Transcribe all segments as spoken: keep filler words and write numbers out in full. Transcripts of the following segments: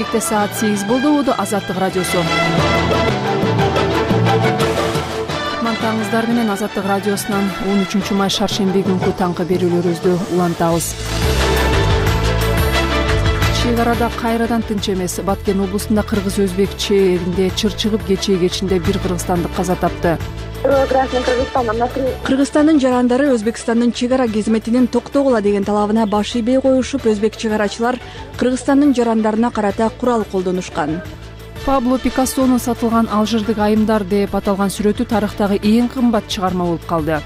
Кенжебекте саат сегиз болду. Уду Азаттык радиосу. Мантаңыздар менен Азаттык радиосунан он үчүнчү май шаршемби күнкү таңкы берүүлөрүбүздү улантабыз. Чек арада кайрадан тынч эмес. Баткен облусунда кыргыз-өзбек чегинде чыр чыгып кечээ кечинде бир кыргызстандык каза тапты. Кыргызстандын жарандары Өзбекстандын чек ара кызметинин токтогула деген талабына баш ийбей коюшуп, өзбек чек арачылар Кыргызстандын жарандарына карата курал колдонушкан. Пабло Пикассонун сатылган алжирдик айымдар деп аталган сүрөтү тарыхтагы эң кымбат чыгарма болуп калды.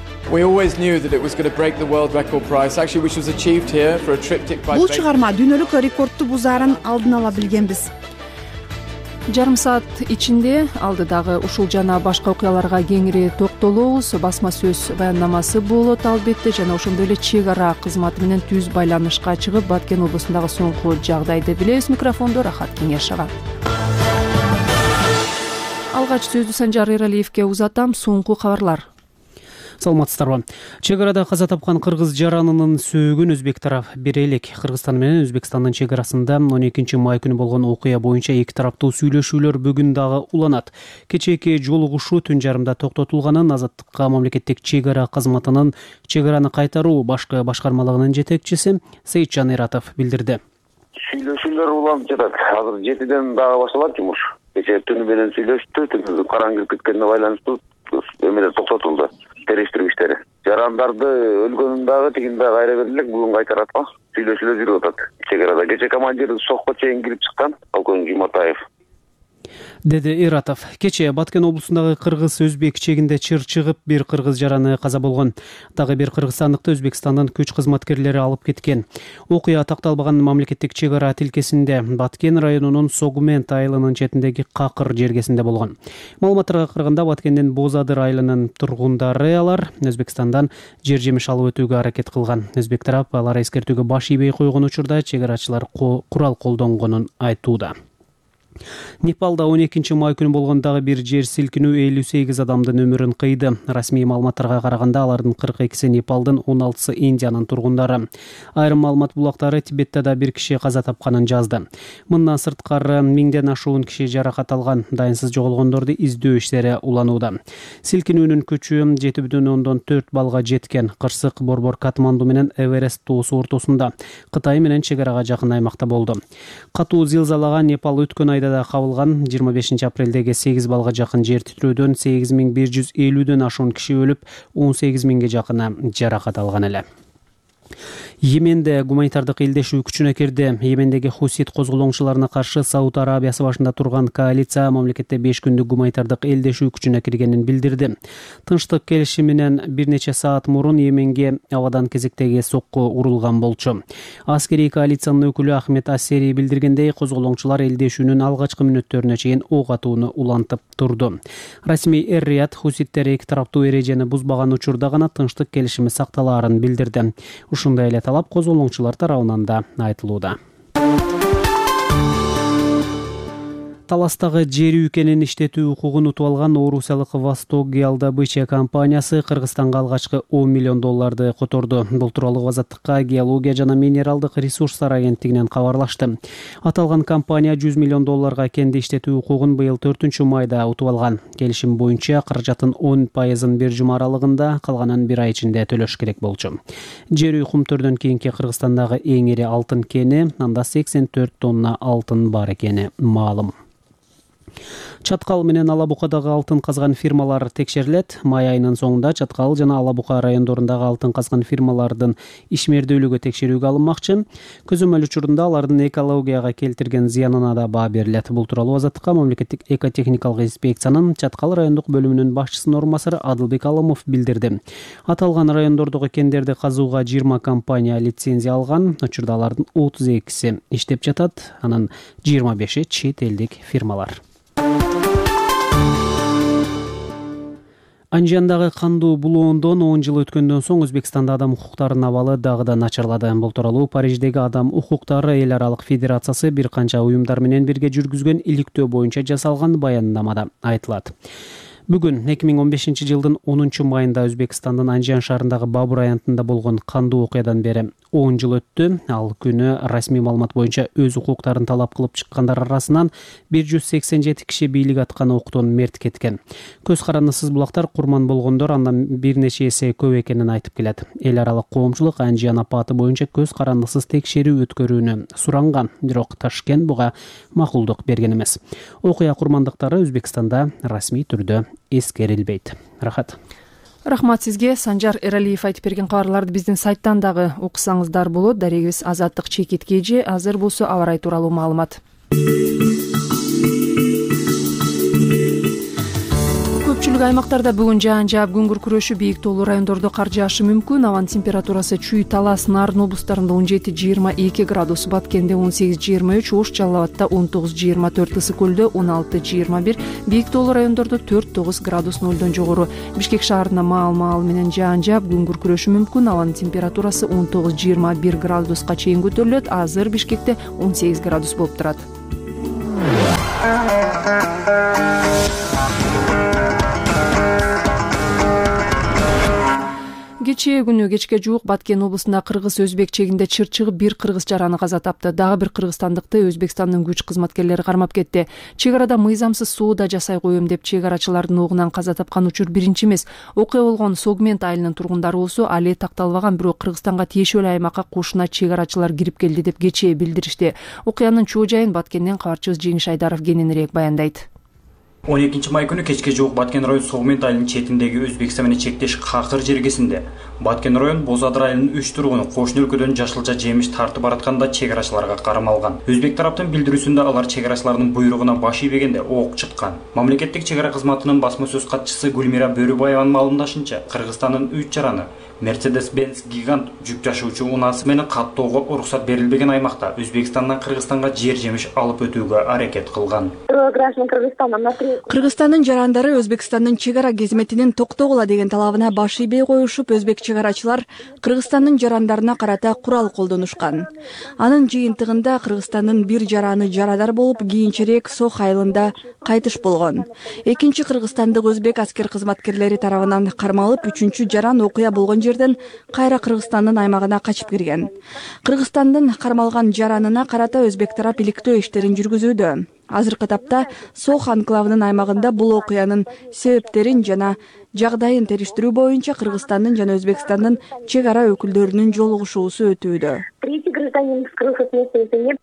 Бул чыгарма дүйнөлүк рекордду бузаарын алдын ала билгенбиз. Жарым саат ичинде алдыдагы ушул жана башка окуяларга кеңири токтолобуз. Басма сөз баяндамасы болот албетте, жана ошондой эле чек ара кызматы менен түз байланышка чыгып, Баткен облусундагы соңку жагдайды билебиз. Микрофондо Рахат Кеңешова. Алгач сөздү Санжар Эралиевке узатам. Соңку кабарлар. Саламатсыздарбы. Чек арада каза тапкан кыргыз жаранынын сөөгүн өзбек тарап бере элек. Кыргызстан менен Өзбекстандын чек арасында он экинчи май күнү болгон окуя боюнча эки тараптуу сүйлөшүүлөр бүгүн дагы уланат. Кечээки жолугушуу түн жарымда токтотулганын Азаттыкка мамлекеттик чек ара кызматынын чек араны кайтаруу башкы башкармалыгынын жетекчиси Сейитжан Эратов билдирди. Сүйлөшүүлөр уланып жатат. Азыр жетиден дагы башталат жумуш. Кечээ түнү менен сүйлөштү, түнү караңгы кирип кеткенине байланыштуу эмелер токтотулду. Териштирүү иштери. Жарандарды өлгөнүн дагы тигин дагы кайра берилек, бүгүн кайтарат го. Сүйлөшүүлөр жүрүп атат. Чек арада кечээ командир сокко чейин кирип чыккан, полковник Жуматаев. Деди Эратов. Кечээ Баткен облусундагы кыргыз-өзбек чегинде чыр чыгып бир кыргыз жараны каза болгон. Дагы бир кыргызстандыкты Өзбекстандын күч кызматкерлери алып кеткен. Окуя такталбаган мамлекеттик чек ара тилкесинде Баткен районунун Согумент айылынын четиндеги Какыр жергесинде болгон. Маалыматтарга караганда Баткендин Бозадыр айылынын тургундары алар Өзбекстандан жер жемиш алып өтүүгө аракет кылган. Өзбек тарап алар эскертүүгө баш ийбей койгон учурда чек арачылар курал колдонгонун айтууда. Непалда он экинчи май күнү болгон дагы бир жер силкинүү элүү сегиз адамдын өмүрүн кыйды. Расмий маалыматтарга караганда алардын кырк экиси Непалдын, он алтысы Индиянын тургундары. Айрым маалымат булактары Тибетте да бир киши каза тапканын жазды. Мындан сырткары миңден ашуун киши жаракат алган. Дайынсыз жоголгондорду издөө иштери уланууда. Силкинүүнүн күчү жети бүтүн ондон төрт балга жеткен. Кырсык Борбор Катманду менен Эверест тоосу ортосунда, Кытай менен чек арага жакын аймакта болду. Катуу зилзалага Непал өткөн айда да кабылган. жыйырма бешинчи апрелдеги сегиз балга жакын жер титрөөдөн сегиз миң бир жүз элүүдөн ашуун киши өлүп, он сегиз миңге жакыны жаракат алган эле. Йеменде гуманитардык элдешүү күчүнө кирди. Йемендеги хусит козголоңчуларына каршы Сауд Арабиясы башында турган коалиция мамлекетте беш күндүк гуманитардык элдешүү күчүнө киргенин билдирди. Тынчтык келишиминен бир нече саат мурун Йеменге абадан кезектеги сокку урулган болчу. Аскерий коалициянын өкүлү Ахмед Ассери билдиргендей, козголоңчулар элдешүүнүн алгачкы мүнөттөрүнө чейин ок атууну улантып турду. Расмий Эр-Рияд хуситтер эки тараптуу эрежени бузбаган учурда гана тынчтык келишими сакталаарын билдирди. Ушундай эле талап козголоңчулар тарабынан да айтылууда. Таластагы жер үйкенин иштетүү укугун утуп алган Орусиялык Восток геодобыча компаниясы Кыргызстанга алгачкы он миллион долларды которду. Бул тууралуу Азаттыкка геология жана минералдык ресурстар агенттигинен кабарлашты. Аталган компания жүз миллион долларга кенди иштетүү укугун быйыл төртүнчү майда утуп алган. Келишим боюнча каражаттын он пайызын бир жума аралыгында, калганын бир ай ичинде төлөш керек болчу. Жер үй кумтөрдөн кийинки Кыргызстандагы эң ири алтын кени, анда сексен төрт тонна алтын бар экени маалым. Чаткал менен Алабукадагы алтын казган фирмалар текшерилет. Май айынын соңунда Чаткал жана Алабука райондорундагы алтын казган фирмалардын ишмердүүлүгү текшерүүгө алынмакчы. Көзөмөл учурунда алардын экологияга келтирген зыянына да баа берилет. Бул тууралуу Азаттыкка мамлекеттик экотехникалык инспекциянын Чаткал райондук бөлүмүнүн башчысынын орун басары Адылбек Алымов билдирди. Аталган райондордогу кендерди казууга жыйырма компания лицензия алган. Учурда алардын отуз экиси иштеп жатат, анын жыйырма беши чет элдик фирмалар. Анжандагы кандуу булоондон он жыл өткөндөн соң Өзбекстанда адам укуктарынын абалы дагы да начарлады. Бул тууралуу Париждеги Адам укуктары эл аралык федерациясы бир канча уюмдар менен бирге жүргүзгөн иликтөө боюнча жасалган баяндамада айтылат. Бүгүн эки миң он бешинчи жылдын онунчу майында Өзбекстандын Анжан шаарындагы Бабур аянтында болгон кандуу окуядан бери он жыл өттү. Ал күнү расмий маалымат боюнча өз укуктарын талап кылып чыккандар арасынан бир жүз сексен жети киши бийлик аткан октон мерт кеткен. Көз карандысыз булактар курман болгондор андан бир нече эсе көп экенин айтып келет. Эл аралык коомчулук Анжиян апаты боюнча көз карандысыз текшерүү өткөрүүнү суранган, бирок Ташкент буга макулдук берген эмес. Окуя курмандыктары Өзбекстанда расмий түрдө эскерилбейт. Рахат. Рахмат сизге. Санжар Эралиев айтып берген кабарларды биздин сайттан дагы окусаңыздар болот. Дарегибиз Азаттык Чекит Кежи. Азыр болсо аба ырайы тууралуу маалымат. Көпчүлүк аймактарда бүгүн жаан жаап күн күркүрөшү, бийик тоолуу райондордо кар жаашы мүмкүн. Абанын температурасы Чүй, Талас, Нарын облустарында он жети жыйырма эки градус, Баткенде он сегиз жыйырма үч, Ош, Жалал Абадта он тогуз жыйырма төрт, Ысык көлдө он алты жыйырма бир, бийик тоолуу райондордо төрт тогуз градус нолдон жогору. Бишкек шаарында маал-маал менен жаан жаап күн күркүрөшү мүмкүн. Абанын температурасы он тогуз жыйырма бир градуска чейин көтөрүлөт. Азыр Бишкекте он сегиз градус болуп турат. Кечээ күнү кечке жуук Баткен облусунда кыргыз-өзбек чегинде чыр чыгып бир кыргыз жараны каза тапты. Дагы бир кыргызстандыкты Өзбекстандын күч кызматкерлери кармап кетти. Чек арада мыйзамсыз соода жасай коем деп чек арачылардын огунан каза тапкан учур биринчи эмес. Окуя болгон Согмент айылынын тургундары болсо али такталбаган, бирок Кыргызстанга тиешелүү аймакка кошуна чек арачылар кирип келди деп кечээ билдиришти. Окуянын чоо жайын Баткенден кабарчыбыз Жеңиш Айдаров кененирээк баяндайт. он экинчи май күнү кечке жуук Баткен район Согмент айылынын четиндеги Өзбекстан менен чектеш Какыр жергесинде Баткен район Бозадыр айылынын үч тургуну кошуна өлкөдөн жашылча жемиш тартып баратканда чек арачыларга кармалган. Өзбек тараптын билдирүүсүндө алар чек арачылардын буйругуна баш ийбегенде ок чыккан. Мамлекеттик чек ара кызматынын басма сөз катчысы Гүлмира Бөрүбаеванын маалымдашынча, Кыргызстандын үч жараны Mercedes-Benz гигант жүк ташуучу унаасы менен каттоого уруксат берилбеген аймакта Өзбекстандан Кыргызстанга жер жемиш алып өтүүгө аракет кылган. Кыргызстандын жарандары Өзбекстандын чек ара кызметинин токтогула деген талабына баш ийбей коюшуп, өзбек чек арачылар Кыргызстандын жарандарына карата курал колдонушкан. Анын жыйынтыгында Кыргызстандын бир жараны жарадар болуп, кийинчерээк Сох айылында кайтыш болгон. Экинчи кыргызстандык өзбек аскер кызматкерлери тарабынан кармалып, үчүнчү жаран окуя болгон жерден кайра Кыргызстандын аймагына качып кирген. Кыргызстандын кармалган жаранына карата өзбек тарап иликтөө иштерин жүргүзүүдө. Азыркы тапта Сох анклавынын аймагында бул окуянын себептерин жана жагдайын териштирүү боюнча Кыргызстандын жана Өзбекстандын чек ара өкүлдөрүнүн жолугушуусу өтүүдө.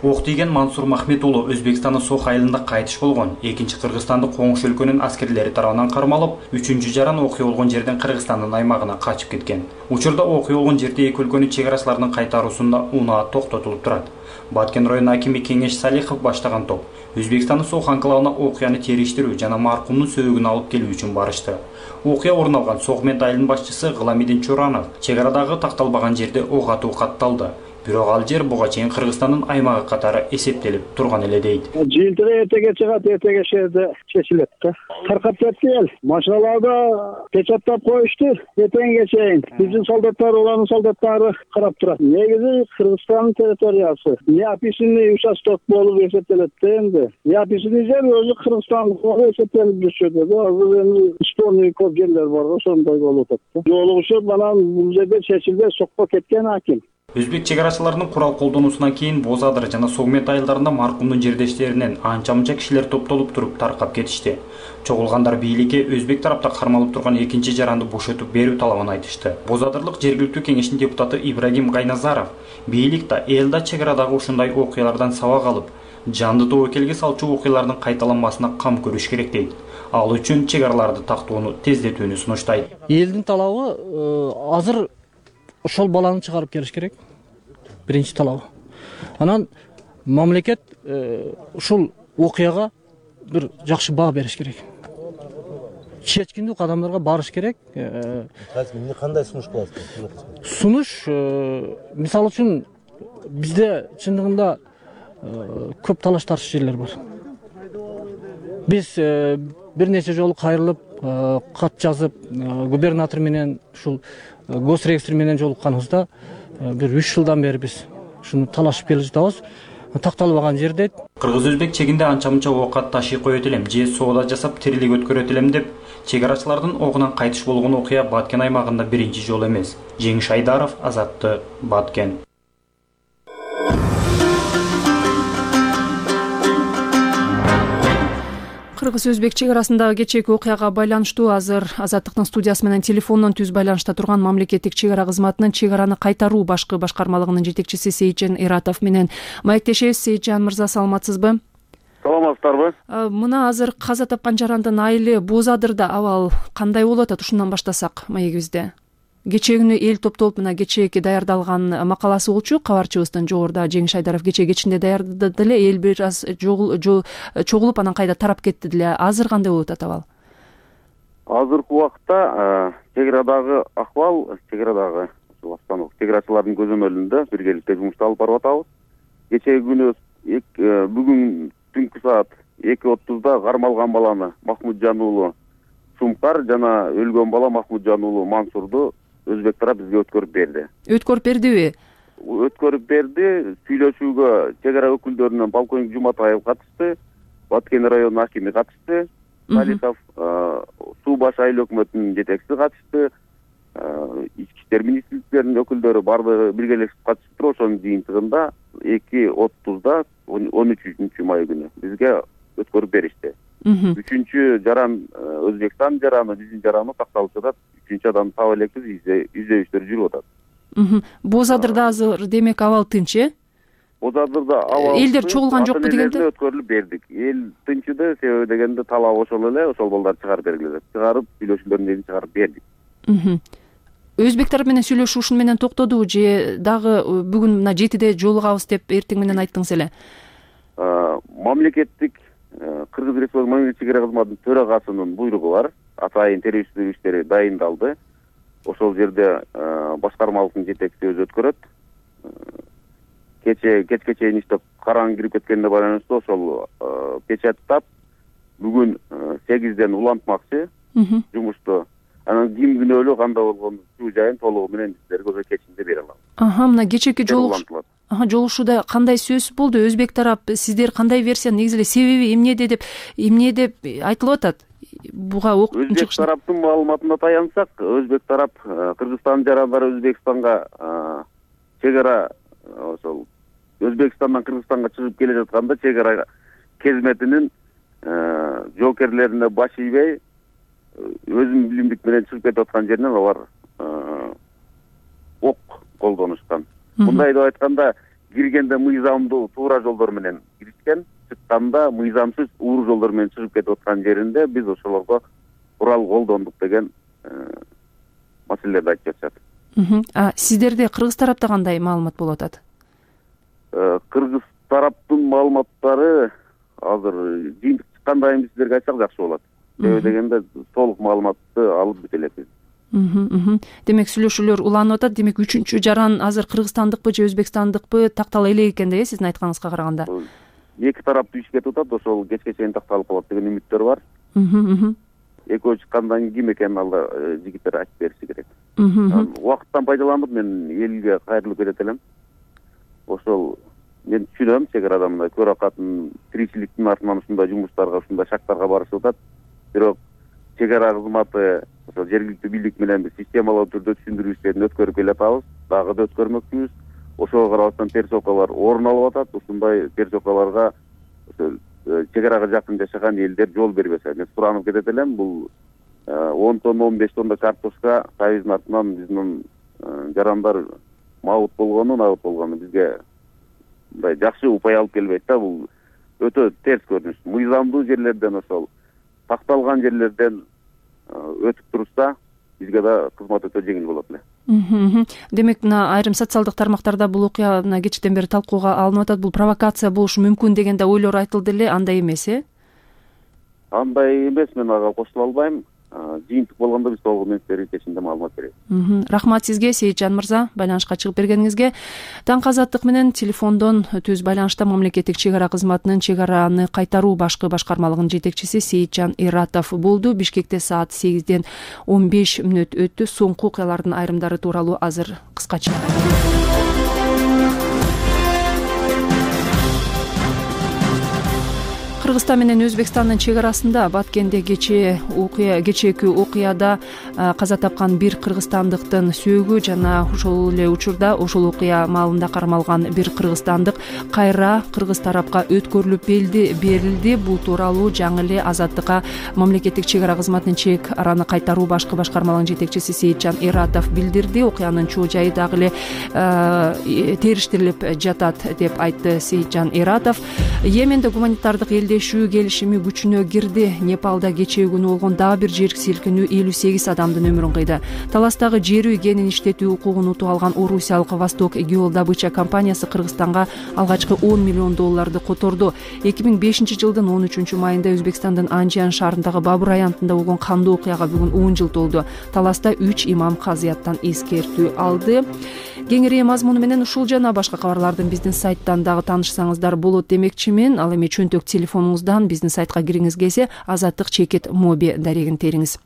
Ок тийген Мансур Махмет уулу Өзбекстандын Сох айылында кайтыш болгон. Экинчи Кыргызстандык коңшу өлкөнүн аскерлери тарабынан кармалып, үчүнчү жаран окуя болгон жерден Кыргызстандын аймагына качып кеткен. Учурда окуя болгон жерде эки өлкөнүн чек арачыларынын кайтаруусунда унаа токтотулуп турат. Баткен району акими Кеңеш Салихов баштаган топ Өзбекстандын Сох анклавына окуяны териштирүү жана маркумдун сөөгүн алып келүү үчүн барышты. Окуя орун алган Согмент айылынын башчысы Гыламидин Чуранов чек арадагы такталбаган жерде ок атуу катталды. Бирок ал жер буга чейин Кыргызстандын аймагы катары эсептелип турган эле дейт. Жыйынтыгы эртеге чыгат, эртеге шерде чечилет да. Таркап кетти эл. Машиналарда печаттап коюшту эртеңге чейин. Биздин солдаттар, улардын солдаттары карап турат. Негизи Кыргызстандын территориясы. Неописанный участок болуп эсептелет да энди. Неописанный жер өзү Кыргызстандык болуп эсептелип жүрүшөт да. Азыр эми спорный көп жерлер бар го, ошондой болуп атат. Жолугушуп анан бул жерде чечилбей сокко кеткен аким. Өзбек чек арачыларынын курал колдонуусунан кийин Бозадыр жана Согмент айылдарында маркумдун жердештеринен анча-мынча кишилер топтолуп туруп таркап кетишти. Чогулгандар бийликке өзбек тарапта кармалып турган экинчи жаранды бошотуп берүү талабын айтышты. Бозадырлык жергиликтүү кеңештин депутаты Ибрагим Гайназаров бийлик да эл да чек арадагы ушундай окуялардан сабак алып, жанды тобокелге салчу окуялардын кайталанмасына кам көрүш керек дейт. Ал үчүн чек араларды тактоону тездетүүнү сунуштайт. Элдин талабы азыр ошол баланы чыгарып келиш керек. Биринчи талабы. Анан мамлекет ушул окуяга бир жакшы баа бериш керек. Чечкиндүү кадамдарга барыш керек. Эмне кандай сунуш кыласыз? Сунуш мисалы үчүн бизде чындыгында көп талаш тартыш жерлер бар. Биз бир нече жолу кайрылып, кат жазып, губернатор менен ушул госрегистр менен жолукканыбызда бир үч жылдан бери биз ушуну талашып келе жатабыз. Такталбаган жер дейт. Кыргыз-өзбек чегинде анча-мынча оокат ташый коет элем, же соода жасап тирилик өткөрөт элем деп чек арачылардын огунан кайтыш болгон окуя Баткен аймагында биринчи жолу эмес. Жеңиш Айдаров, Азаттык, Баткен. кыргыз өзбек чек арасындагы кечээки окуяга байланыштуу азыр Азаттыктын студиясы менен телефондон түз байланышта турган мамлекеттик чек ара кызматынын чек араны кайтаруу башкы башкармалыгынын жетекчиси Сейитжан Иратов менен маектешебиз. Сейитжан мырза, саламатсызбы? Саламатсыздарбы? Мына азыр каза тапкан жарандын айылы Боз Адырда абал кандай болуп атат? Ушундан баштасак маегибизде. Кечээ күнү эл топтолуп мына кечээки даярдалган макаласы болчу. Кабарчыбыздын жогоруда Жеңиш Айдаров кечээ кечинде даярдады эле. Эл бир аз чогулуп анан кайда тарап кетти деле. Азыр кандай болуп атат абал? Азыркы убакта чек арадагы акыбал, чек арадагы чек арачылардын көзөмөлүндө биргеликте жумушту алып барып атабыз. Кечээ күнү бүгүн түнкү саат эки отузда кармалган баланы Махмуджан уулу Сумкар жана өлгөн бала Махмуджан уулу Мансурду өзбек тарап бизге өткөрүп берди. Өткөрүп бердиби? Өткөрүп берди. Сүйлөшүүгө чек ара өкүлдөрүнөн полковник Жуматаев катышты, Баткен районунун акими катышты, Салихов суу баш айыл өкмөтүнүн жетекчиси катышты, ички иштер министрликтеринин өкүлдөрү баардыгы биргелешип катышып туруп, ошонун жыйынтыгында эки отузда он үчүнчү май күнү бизге өткөрүп беришти. Үчүнчү жаран Өзбекстан жараны, биздин жараны такталып жатат. Үчүнчү адамды таба элекпиз, издөөчтөр жүрүп атат. Боз Адырда азыр демек абал тынч, э? Боз Адырда абал элдер чогулган жокпу дегенде? Өткөрүлүп бердик. Эл тынчыды, себеби дегенде талап ошол эле, ошол балдарды чыгарып бергиле. Чыгарып, сүйлөшүүлөрдөн чыгарып бердик. Өзбек тарап менен сүйлөшүү ушун менен токтодубу же дагы бүгүн мына жетиде жолугабыз деп эртең менен айттыңыз эле? Мамлекеттик Кыргыз Республикасы мамлекеттик чек ара кызматынын төрагасынын буйругу бар. Атайын терүүчүлүк иштери дайындалды. Ошол жерде башкармалыктын жетекчиси өзү өткөрөт. Кече кечке чейин иштеп караң кирип кеткенине байланыштуу ошол печаттап бүгүн сегизден улантмакчы жумушту. Анан ким күнөөлүү кандай болгону жуу жайын толугу менен сиздерге өзү кечинде бере алам. Аха, мына кечээки жолугушуу Аха, жолугушууда кандай сөз болду? Өзбек тарап сиздер кандай версия, негизи эле себеби эмнеде деп эмне деп айтылып атат? Буга октун чыгышы. Өзбек тараптын маалыматына таянсак, Өзбек тарап Кыргызстан жарандары Өзбекстанга чек ара ошол Өзбекстандан Кыргызстанга чыгып келе жатканда чек ара кезметинин жоокерлерине баш ийбей өзүнүн билимдик менен чыгып кетип аткан жеринен алар ок колдонушкан. Мындай деп айтканда, киргенде мыйзамдуу туура жолдор менен киришкен, чыкканда мыйзамсыз уур жолдор менен чыгып кетип аткан жеринде биз ошолорго курал колдондук деген маселелерди айтып жатышат. А сиздерде Кыргыз тарапта кандай маалымат болуп атат? Кыргыз тараптын маалыматтары азыр жыйынтык чыккандан кийин сиздерге айтсак жакшы болот. Себеби дегенде толук маалыматты алып бүт элекпиз. Демек сүйлөшүүлөр уланып атат. Демек үчүнчү жаран азыр кыргызстандыкпы же өзбекстандыкпы тактала элек экен да, э, сиздин айтканыңызга караганда? Эки тарап тийишип кетип атат, ошол кечке чейин такталып калат деген үмүттөр бар. Экөө чыккандан кийин ким экенин алда жигиттер айтып бериши керек. Убакыттан пайдаланып мен элге кайрылып кетет элем. Ошол мен түшүнөм, чек арада мындай көр акатын тиричиликтин артынан ушундай жумуштарга, ушундай шарттарга барышып атат. Бирок чек ара кызматы ошол жергиликтүү бийлик менен биз системалуу түрдө түшүндүрүү иштерин өткөрүп келатабыз, дагы да өткөрмөкчүбүз. Ошого карабастан терс окуялар орун алып атат. Ушундай терс окуяларга чек арага жакын жашаган элдер жол бербесе. Мен суранып кетет элем, бул он тонна он беш тонна картошка Союздун артынан биздин жарандар мабут болгону, набут болгону бизге мындай жакшы упай алып келбейт да. Бул өтө терс көрүнүш. Мыйзамдуу жерлерден ошол такталган жерлерден өтүп турса, бизге да кызмат өтө жеңил болот эле. Демек, мына айрым социалдык тармактарда бул окуя мына кечтен бери талкууга алынып атат. Бул провокация болушу мүмкүн деген да ойлор айтылды эле, андай эмес, э? Андай эмес, мен ага кошула албайм. Жыйынтык болгондо биз толугу менен сиздерге кечинде маалымат беребиз. Рахмат сизге, Сейитжан мырза, байланышка чыгып бергениңизге. Таң Азаттык менен телефондон түз байланышта мамлекеттик чек ара кызматынын чек араны кайтаруу башкы башкармалыгынын жетекчиси Сейитжан Иратов болду. Бишкекте саат сегизден он беш мүнөт өттү. Соңку окуялардын айрымдары тууралуу азыр кыскача. Кыргызстан менен Өзбекстандын чек арасында Баткенде кечээ окуя кечээки окуяда каза тапкан бир кыргызстандыктын сөөгү жана ошол эле учурда ошол окуя маалында кармалган бир кыргызстандык кайра кыргыз тарапка өткөрүлүп берилди. Бул тууралуу жаңы эле Азаттыкка мамлекеттик чек ара кызматынын чек араны кайтаруу башкы башкармалыгынын жетекчиси Сейитжан Эратов билдирди. Окуянын чоо жайы дагы эле териштирилип жатат деп айтты Сейитжан Эратов. Йеменде гуманитардык элдешүү келишими күчүнө кирди. Непалда кечээ күнү болгон дагы бир жер силкинүү элүү сегиз адамдын өмүрүн кыйды. Таластагы жер үй кенин иштетүү укугун утуп алган орусиялык Восток Геодобыча компаниясы Кыргызстанга алгачкы он миллион долларды которду. эки миң бешинчи жылдын он үчүнчү майында Өзбекстандын Анжиан шаарындагы Бабур аянтында болгон кандуу окуяга бүгүн он жыл толду. Таласта үч имам казыяттан эскертүү алды. Кеңири мазмуну менен ушул жана башка кабарлардын биздин сайттан дагы таанышсаңыздар болот демекчимин. Ал эми чөнтөк телефонуңуздан биздин сайтка кириңиз келсе Азаттык чекит моби дарегин териңиз.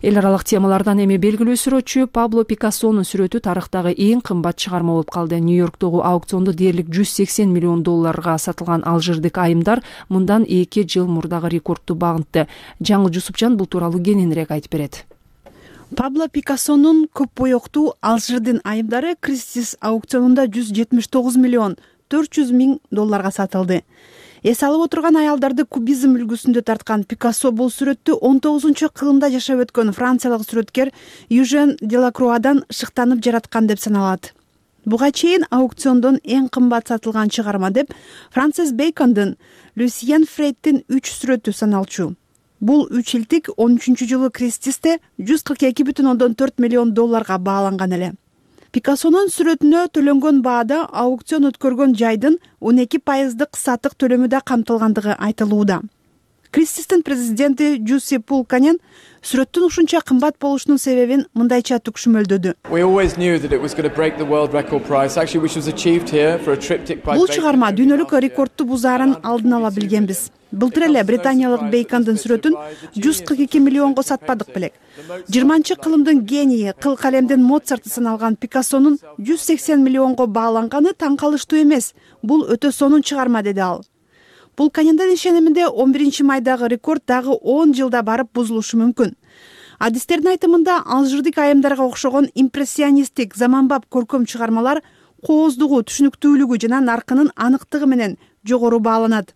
Эл аралык темалардан эми белгилүү сүрөтчү Пабло Пикассонун сүрөтү тарыхтагы эң кымбат чыгарма болуп калды. Нью-Йорктогу аукциондо дээрлик жүз сексен миллион долларга сатылган алжирдик айымдар мындан эки жыл мурдагы рекордду багынтты. Жаңыл Жусупжан бул тууралуу кененирээк айтып берет. Пабло Пикассонун көп боёктуу алжирдин айымдары Кристис аукционунда жүз жетимиш тогуз миллион төрт жүз миң долларга сатылды. Эс алып отурган аялдарды кубизм үлгүсүндө тарткан Пикассо бул сүрөттү он тогузунчу кылымда жашап өткөн франциялык сүрөткер Южен Делакруадан шыктанып жараткан деп саналат. Буга чейин аукциондон эң кымбат сатылган чыгарма деп Франсис Бейкондун Люсьен Фрейдтин үч сүрөтү саналчу. Бул үч илтик он үчүнчү жылы Кристисте жүз кырк эки бүтүн ондон төрт миллион долларга бааланган эле. Пикассонун сүрөтүнө төлөнгөн баада аукцион өткөргөн жайдын он эки пайыздык сатык төлөмү да камтылгандыгы айтылууда. Кристистин президенти Жуси Пулканен сүрөттүн ушунча кымбат болушунун себебин мындайча түкшүмөлдөдү. Бул чыгарма дүйнөлүк рекордду бузаарын алдын ала билгенбиз. Былтыр эле британиялык Бейкондун сүрөтүн жүз кырк эки миллионго сатпадык белек. жыйырманчы кылымдын генийи, кыл калемдин Моцарты саналган Пикассонун жүз сексен миллионго бааланганы таң калыштуу эмес. Бул өтө сонун чыгарма, деди ал. Пулканендин ишениминде он биринчи майдагы рекорд дагы он жылда барып бузулушу мүмкүн. Адистердин айтымында алжирдик айымдарга окшогон импрессионисттик заманбап көркөм чыгармалар кооздугу, түшүнүктүүлүгү жана наркынын аныктыгы менен жогору бааланат.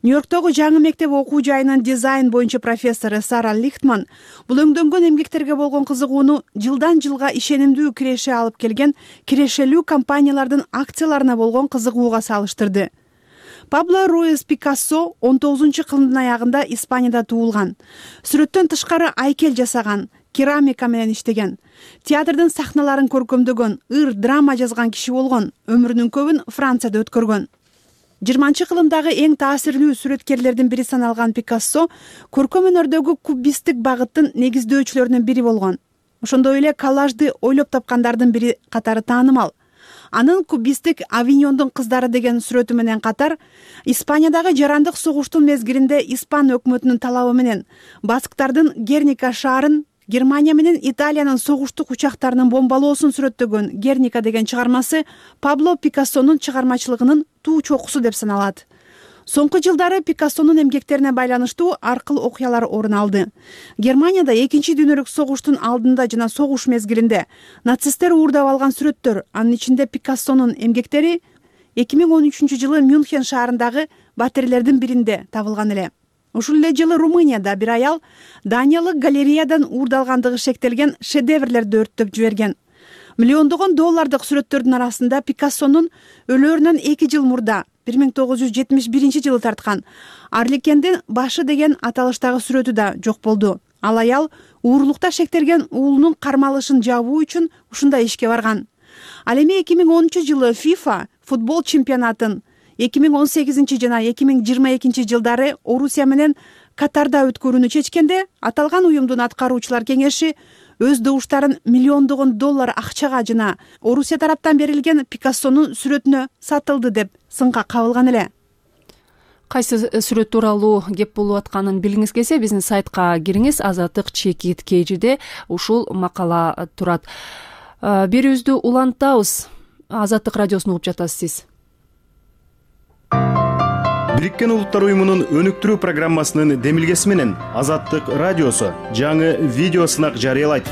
Нью-Йорктогу жаңы мектеп окуу жайынын дизайн боюнча профессору Сара Лихтман бул өңдөнгөн эмгектерге болгон кызыгууну жылдан жылга ишенимдүү киреше алып келген кирешелүү компаниялардын акцияларына болгон кызыгууга салыштырды. Пабло Руис Пикассо он тогузунчу кылымдын аягында Испанияда туулган. Сүрөттөн тышкары айкел жасаган, керамика менен иштеген, театрдын сахналарын көркөмдөгөн, ыр драма жазган киши болгон, өмүрүнүн көбүн Францияда өткөргөн. жыйырманчы кылымдагы эң таасирлүү сүрөткерлердин бири саналган Пикассо көркөм өнөрдөгү кубисттик багыттын негиздөөчүлөрүнүн бири болгон. Ошондой эле коллажды ойлоп тапкандардын бири катары таанымал. Анын кубисттик Авиньондун кыздары деген сүрөтү менен катар Испаниядагы жарандык согуштун мезгилинде Испан өкмөтүнүн талабы менен басктардын Герника шаарын, Германия менен Италиянын согуштук учактарынын бомбалоосун сүрөттөгөн Герника деген чыгармасы Пабло Пикассонун чыгармачылыгынын туу чокусу деп саналат. Соңку жылдары Пикассонун эмгектерине байланыштуу аркыл окуялар орун алды. Германияда экинчи дүйнөлүк согуштун алдында жана согуш мезгилинде нацисттер уурдап алган сүрөттөр, анын ичинде Пикассонун эмгектери эки миң он үчүнчү жылы Мюнхен шаарындагы батирелердин биринде табылган эле. Ушул эле жылы Румынияда бир аял Даниялык галереядан уурдалгандыгы шектелген шедеврлерди өрттөп жиберген. Миллиондогон доллардык сүрөттөрдүн арасында Пикассонун өлөөрүнөн эки жыл мурда бир миң тогуз жүз жетимиш биринчи жылы тарткан Арликендин башы деген аталыштагы сүрөтү да жок болду. Ал аял уурлукта шектелген уулунун кармалышын жабуу үчүн ушундай ишке барган. Ал эми эки миң онунчу жылы FIFA футбол чемпионатын эки миң он сегизинчи жана эки миң жыйырма экинчи жылдары Орусия менен Катарда өткөрүүнү чечкенде, аталган уюмдун аткаруучулар кеңеши өз добуштарын миллиондогон доллар акчага жана Орусия тараптан берилген Пикассонун сүрөтүнө сатылды деп сынга кабылган эле. Кайсы сүрөт тууралуу кеп болуп атканын билгиңиз келсе, биздин сайтка кириңиз. Азаттык чекит кейжиде ушул макала турат. Берүүбүздү улантабыз. Азаттык радиосун угуп жатасыз сиз. Бириккен Улуттар уюмунун өнүктүрүү программасынын демилгеси менен Азаттык радиосу жаңы видео сынак жарыялайт.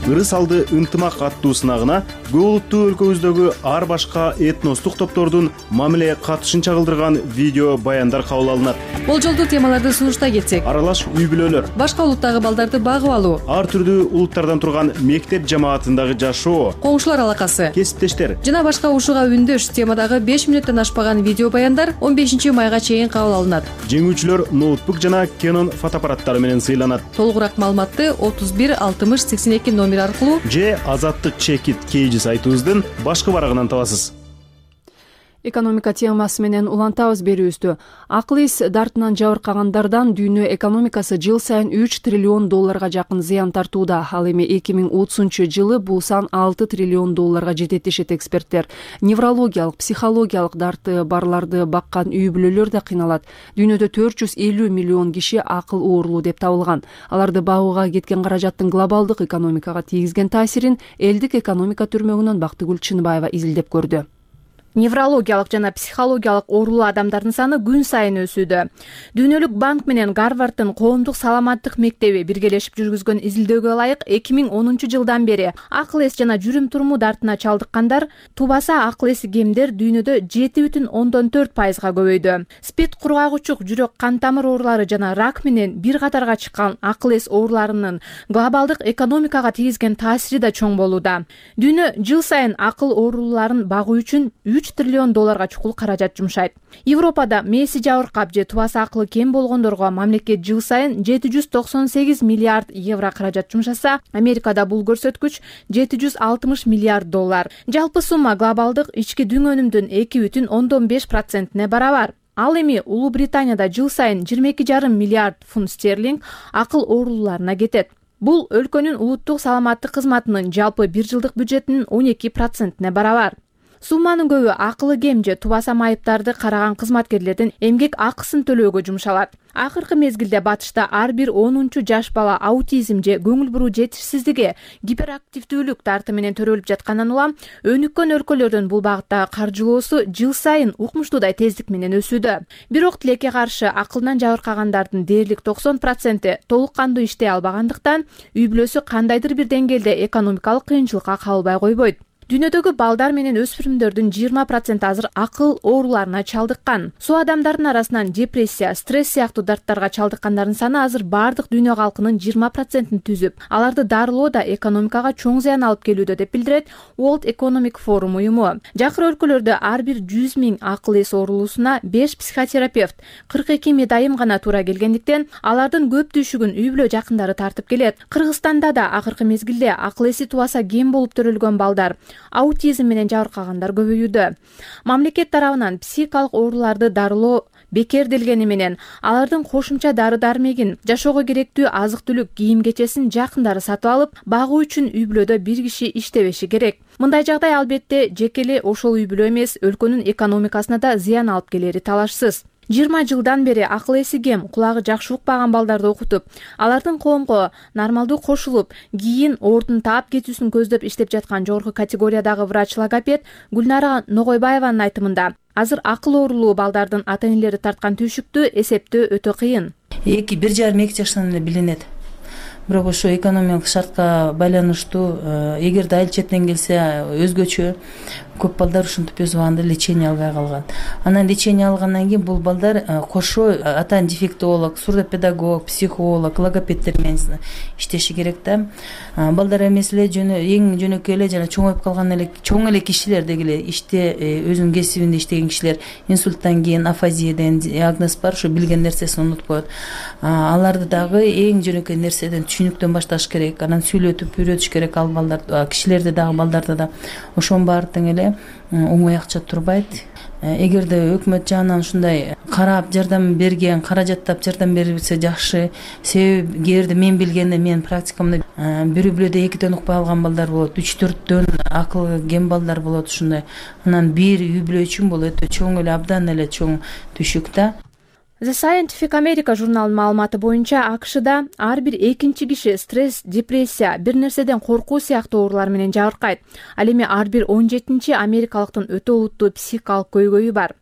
Ырыс алды ынтымак аттуу сынагына көп улуттуу өлкөбүздөгү ар башка этностук топтордун мамиле катышын чагылдырган видео баяндар кабыл алынат. Болжолдуу темаларды сунуштай кетсек: аралаш үй бүлөлөр, башка улуттагы балдарды багып алуу, ар түрдүү улуттардан турган мектеп жамаатындагы жашоо, коңшулар алакасы, кесиптештер жана башка ушуга үндөш темадагы беш мүнөттөн ашпаган видео баяндар он бешинчи майга чейин кабыл алынат. Жеңүүчүлөр ноутбук жана Canon фотоаппараттары менен сыйланат. Толугураак маалыматты отуз бир алтымыш сексен эки номер аркылуу же азаттык чекит кейжи сайтыбыздын башкы барагынан табасыз. Экономика темасы менен улантабыз берүүбүздү. Акыл эс дартынан жабыркагандардан дүйнө экономикасы жыл сайын үч триллион долларга жакын зыян тартууда. Ал эми эки миң отузунчу жылы бул сан алты триллион долларга жетет дешет эксперттер. Неврологиялык, психологиялык дарты барларды баккан үй бүлөлөр да кыйналат. Дүйнөдө төрт жүз элүү миллион киши акыл оорулуу деп табылган. Аларды багууга кеткен каражаттын глобалдык экономикага тийгизген таасирин элдик экономика түрмөгүнөн Бактыгүл Чыныбаева изилдеп көрдү. Неврологиялык жана психологиялык оорулуу адамдардын саны күн сайын өсүүдө. Дүйнөлүк банк менен Гарварддын коомдук саламаттык мектеби биргелешип жүргүзгөн изилдөөгө ылайык эки миң онунчу жылдан бери акыл эс жана жүрүм туруму дартына чалдыккандар тубаса акыл эси кемдер дүйнөдө жети бүтүн ондон төрт пайызга көбөйдү. Спид, кургагучук, жүрөк кан тамыр оорулары жана рак менен бир катарга чыккан акыл эс ооруларынын глобалдык экономикага тийгизген таасири да чоң болууда. Дүйнө жыл сайын акыл оорулууларын багуу үчүн үч триллион долларга чукул каражат жумшайт. Европада мээси жабыркап же тубасы акылы кем болгондорго мамлекет жыл сайын жети жүз токсон сегиз миллиард евро каражат жумшаса, Америкада бул көрсөткүч жети жүз алтымыш миллиард доллар. Жалпы сумма глобалдык ички дүң өнүмдүн эки бүтүн ондон беш процентине барабар. Ал эми Улуу Британияда жыл сайын жыйырма эки жарым миллиард фунт стерлинг акыл оорулууларына кетет. Бул өлкөнүн улуттук саламаттык кызматынын жалпы бир жылдык бюджетинин он эки процентине барабар. Сумманын көбү акылы кем же тубаса майыптарды караган кызматкерлердин эмгек акысын төлөөгө жумшалат. Акыркы мезгилде батышта ар бир онунчу жаш бала аутизм же көңүл буруу жетишсиздиги, гиперактивдүүлүк дарты менен төрөлүп жаткандан улам өнүккөн өлкөлөрдүн бул багыттагы каржылоосу жыл сайын укмуштуудай тездик менен өсүүдө. Бирок тилекке каршы акылдан жабыркагандардын дээрлик токсон проценти толук кандуу иштей албагандыктан үй бүлөсү кандайдыр бир деңгээлде экономикалык кыйынчылыкка кабылбай койбойт. Дүйнөдөгү балдар менен өспүрүмдөрдүн жыйырма проценти азыр акыл ооруларына чалдыккан. Су адамдардын арасынан депрессия, стресс сыяктуу дарттарга чалдыккандардын саны азыр бардык дүйнө калкынын жыйырма процентин түзүп, аларды дарылоо да экономикага чоң зыян алып келүүдө деп билдирет World Economic Forum уюму. Жакыр өлкөлөрдө ар бир жүз миң акыл эс оорулуусуна беш психотерапевт, кырк эки медайым гана туура келгендиктен, алардын көп түйшүгүн үй бүлө жакындары тартып келет. Кыргызстанда да акыркы мезгилде акыл эси тубаса кем болуп төрөлгөн балдар, аутизм менен жабыркагандар көбөйүүдө. Мамлекет тарабынан психикалык ооруларды дарылоо бекерделгени менен алардын кошумча дары-дармегин, жашоого керектүү азык-түлүк, кийим-кечесин жакындары сатып алып, багуу үчүн үй бүлөдө бир киши иштебеши керек. Мындай жагдай албетте жеке эле ошол үй бүлө эмес, өлкөнүн экономикасына да зыян алып келери талашсыз. жыйырма жылдан бери акыл эси кем, кулагы жакшы укпаган балдарды окутуп, алардын коомго нормалдуу кошулуп, кийин оордун таап кетүүсүн көздөп иштеп жаткан жогорку категориядагы врач-логопед Гүлнара Ногойбаеванын айтымында, азыр акыл оорулуу балдардын ата-энелери тарткан түйшүктү эсептөө өтө кыйын. эки бир жарым эки жаштан эле билинет. Бирок ошо экономикалык шартка байланыштуу, эгерде айыл четинен келсе өзгөчө, көп балдар ушинтип өз убагында лечение албай калган. Анан лечение алгандан кийин бул балдар кошо атан дефектолог, сурдопедагог, психолог, логопеддер менен иштеши керек да. Балдар эмес эле жөнө эң жөнөкөй эле жана чоңоюп калган эле чоң эле кишилер дегиле иште өзүнүн кесибинде иштеген кишилер инсульттан кийин афазия деген диагноз бар, ошо билген нерсесин унутуп коет. Аларды дагы эң жөнөкөй нерседен түшүнүктөн башташ керек, анан сүйлөтүп үйрөтүш керек ал балдар, кишилерди дагы балдарды да. Ошонун баары тең эле оңой акча турбайт. Эгерде өкмөт жагынан ушундай карап жардам берген, каражаттап жардам берилсе жакшы. Себеби эгерде мен билгенде, менин практикамда бир үй бүлөдө экиден укпай алган балдар болот, үч төрттөн акылы кем балдар болот ушундай. Анан бир үй бүлө үчүн бул өтө чоң эле, абдан эле чоң түшүк да. The Scientific America журналынын маалыматы боюнча АКШда ар бир экинчи киши стресс, депрессия, бир нерседен коркуу сыяктуу оорулар менен жабыркайт. Ал эми ар бир он жетинчи америкалыктын өтө олуттуу психикалык көйгөйү бар.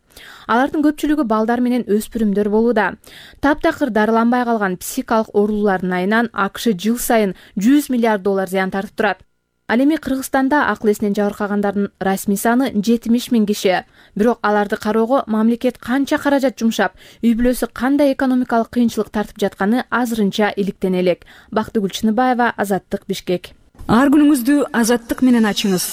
Алардын көпчүлүгү балдар менен өспүрүмдөр болууда. Таптакыр дарыланбай калган психикалык оорулардын айынан АКШ жыл сайын жүз миллиард доллар зыян тартып турат. Ал эми Кыргызстанда акыл эсинен жабыркагандардын расмий саны жетимиш миң киши. Бирок аларды кароого мамлекет канча каражат жумшап, үй бүлөсү кандай экономикалык кыйынчылык тартып жатканы азырынча иликтен элек. Бактыгүл Чыныбаева, Азаттык, Бишкек. Ар күнүңүздү Азаттык менен ачыңыз.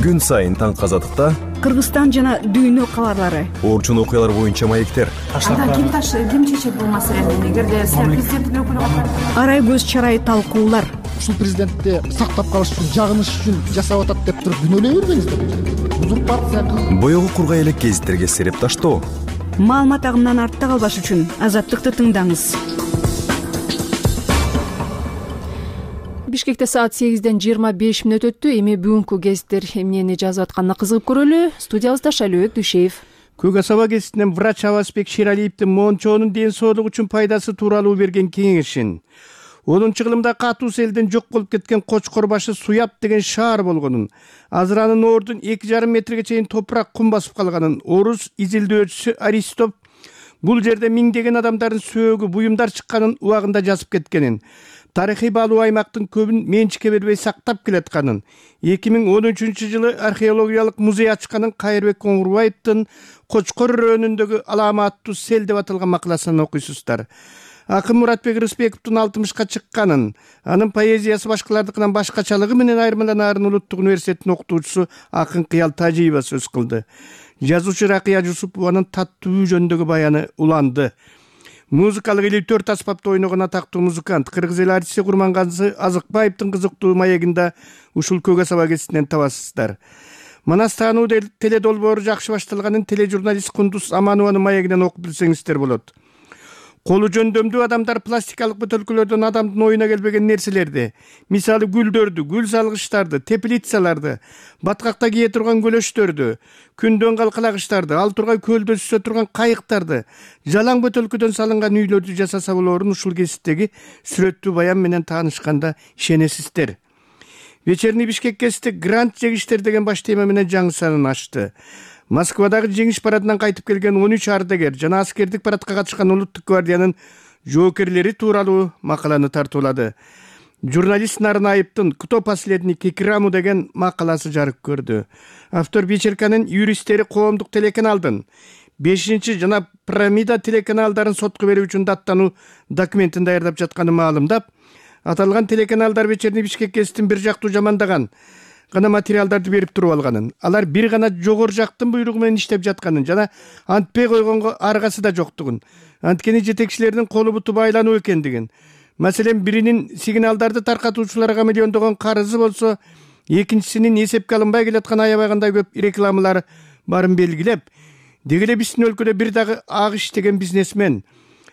Күн сайын таңкы Азаттыкта Кыргызстан жана дүйнө кабарлары, орчун окуялар боюнча маектер. Андан ким таш ким чечет бул маселени? Эгерде сиз президенттик өкүлү арай көз чарай талкуулар. Ушул президентти сактап калыш үчүн, жагыныш үчүн жасап атат деп туруп күнөөлөй бербеңиздер. Узурпация. Боёгу кургай элек гезиттерге сереп таштоо. Маалымат агымынан артта калбаш үчүн Азаттыкты тыңдаңыз. Бишкекте саат сегизден жыйырма беш мүнөт өттү. Эми бүгүнкү гезиттер эмнени жазып атканына кызыгып көрөлү. Студиябызда Шалөөк Дүйшеев. Көк Асаба гезитинен врач Абасбек Шералиевдин мончоонун ден соолугу үчүн пайдасы тууралуу берген кеңешин, онунчу кылымда катуу селден жок болуп кеткен Кочкор башы Суяб деген шаар болгонун, азыр анын ордун эки жарым метрге чейин топурак кум басып калганын, орус изилдөөчүсү Аристоп бул жерде миңдеген адамдардын сөөгү, буюмдар чыкканын убагында жазып кеткенин, тарыхый баалуу аймактын көбүн менчикке бербей сактап келатканын, эки миң он үчүнчү жылы археологиялык музей ачканын Кайырбек Коңурбаевдин Кочкор районундагы аламаттуу сел деп аталган макаласын окуйсуздар. Акын Муратбек Рыспековдун алтымышка чыкканын, анын поэзиясы башкалардыкынан башкачалыгы менен айырмаланаарын Улуттук университеттин окутуучусу Акын Кыял Тажиева сөз кылды. Жазуучу Ракыя Жусупованын таттуу жөнүндөгү баяны уланды. Музыкалык элүү төрт аспапта ойногон атактуу музыкант кыргыз эл артисти Курмангазы Азыкбаевдин кызыктуу маегинде ушул Көк Асаба гезитинен табасыздар. Манас таануу теледолбоору жакшы башталганын тележурналист Кундуз Аманованын маегинен окуп билсеңиздер болот. Колу жөндөмдүү адамдар пластикалык бөтөлкөлөрдөн адамдын оюна келбеген нерселерди, мисалы гүлдөрдү, гүл салгычтарды, теплицаларды, баткакта кие турган көлөштөрдү, күндөн калкалагычтарды, ал тургай көлдө сүзө турган кайыктарды, жалаң бөтөлкөдөн салынган үйлөрдү жасаса болоорун ушул гезиттеги сүрөттүү баян менен таанышканда ишенесиздер. Вечерний Бишкек гезити грант жегиштер деген баш тема менен жаңы санын ачты. Москвадагы жеңиш парадынан кайтып келген он үч ардагер жана аскердик парадка катышкан Улуттук гвардиянын жоокерлери тууралуу макаланы тартуулады. Журналист Нарнаевдин «Кто последний Кикраму» деген макаласы жарык көрдү. Автор вечерканын юристтери коомдук телеканалдын бешинчи жана Пирамида телеканалдарын сотко берүү үчүн даттануу документин даярдап жатканын маалымдап, аталган телеканалдар Вечерний Бишкек гезитин бир жактуу жамандаган гана материалдарды берип туруп алганын, алар бир гана жогору жактын буйругу менен иштеп жатканын жана антпей койгонго аргасы да жоктугун, анткени жетекчилердин колу буту байлануу экендигин, маселен биринин сигналдарды таркатуучуларга миллиондогон карызы болсо, экинчисинин эсепке алынбай келаткан аябагандай көп рекламалары барын белгилеп, деги эле биздин өлкөдө бир дагы ак иштеген бизнесмен,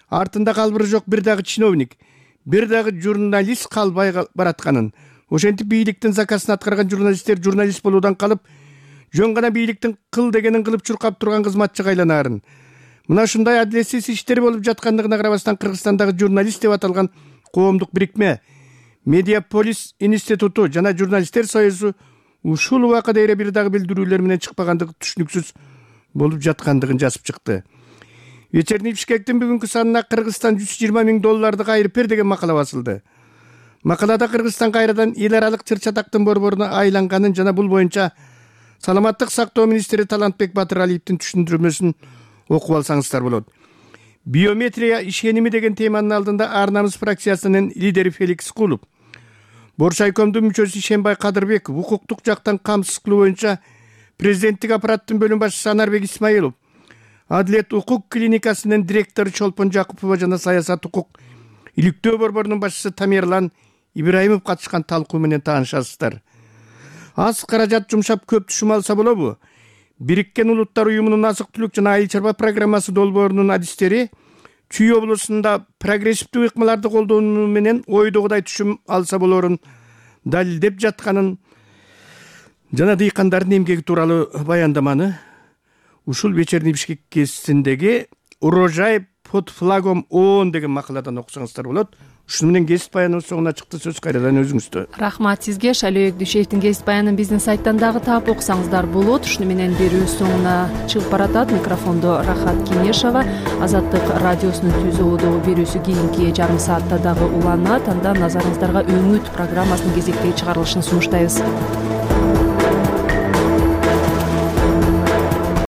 артында калбыры жок бир дагы чиновник, бир дагы журналист калбай баратканын, ошентип бийликтин заказын аткарган журналисттер журналист болуудан калып, жөн гана бийликтин кыл дегенин кылып чуркап турган кызматчыга айланаарын. Мына ушундай адилетсиз иштер болуп жаткандыгына карабастан Кыргызстандагы журналист деп аталган коомдук бирикме, Медиаполис институту жана журналисттер союзу ушул убакыта эре бир дагы билдирүүлөр менен чыкпагандыгы түшүнүксүз болуп жаткандыгын жазып чыкты. Вечерний Бишкектин бүгүнкү санына Кыргызстан жүз жыйырма миң долларды кайрып бер деген макала басылды. Макалада Кыргызстан кайрадан эл аралык чыр-чатактын борборуна айланганын жана бул боюнча саламаттык сактоо министри Талантбек Батыралиевдин түшүндүрмөсүн окуп алсаңыздар болот. Биометрия ишеними деген теманын алдында Ар намыс фракциясынын лидери Феликс Кулуп, Боршайкомдун мүчөсү Ишенбай Кадырбеков, укуктук жактан камсыз кылуу боюнча президенттик аппараттын бөлүм башчысы Анарбек Исмаилов, Адилет укук клиникасынын директору Чолпон Жакупова жана саясат укук иликтөө борборунун башчысы Тамерлан Ибраимов катышкан талкуу менен таанышасыздар. Аз каражат жумшап көп түшүм алса болобу? Бириккен Улуттар уюмунун азык-түлүк жана айыл чарба программасы долбоорунун адистери Чүй облусунда прогрессивдүү ыкмаларды колдонуу менен ойдогудай түшүм алса болоорун далилдеп жатканын жана дыйкандардын эмгеги тууралуу баяндаманы ушул Вечерний Бишкек гезитиндеги «Урожай под флагом ООН» деген макаладан окусаңыздар болот. ушуну менен кесип баяныбыз соңуна чыкты. Сөз кайрадан өзүңүздө. Рахмат сизге. Шалибек Дүйшеевдин кесип баянын биздин сайттан дагы таап окусаңыздар болот. Ушуну менен берүү соңуна чыгып баратат. Микрофондо Рахат Кенешова. Азаттык радиосунун түз ободогу берүүсү кийинки жарым саатта дагы уланат. Анда назарыңыздарга Өңүт программасынын кезектеги чыгарылышын сунуштайбыз.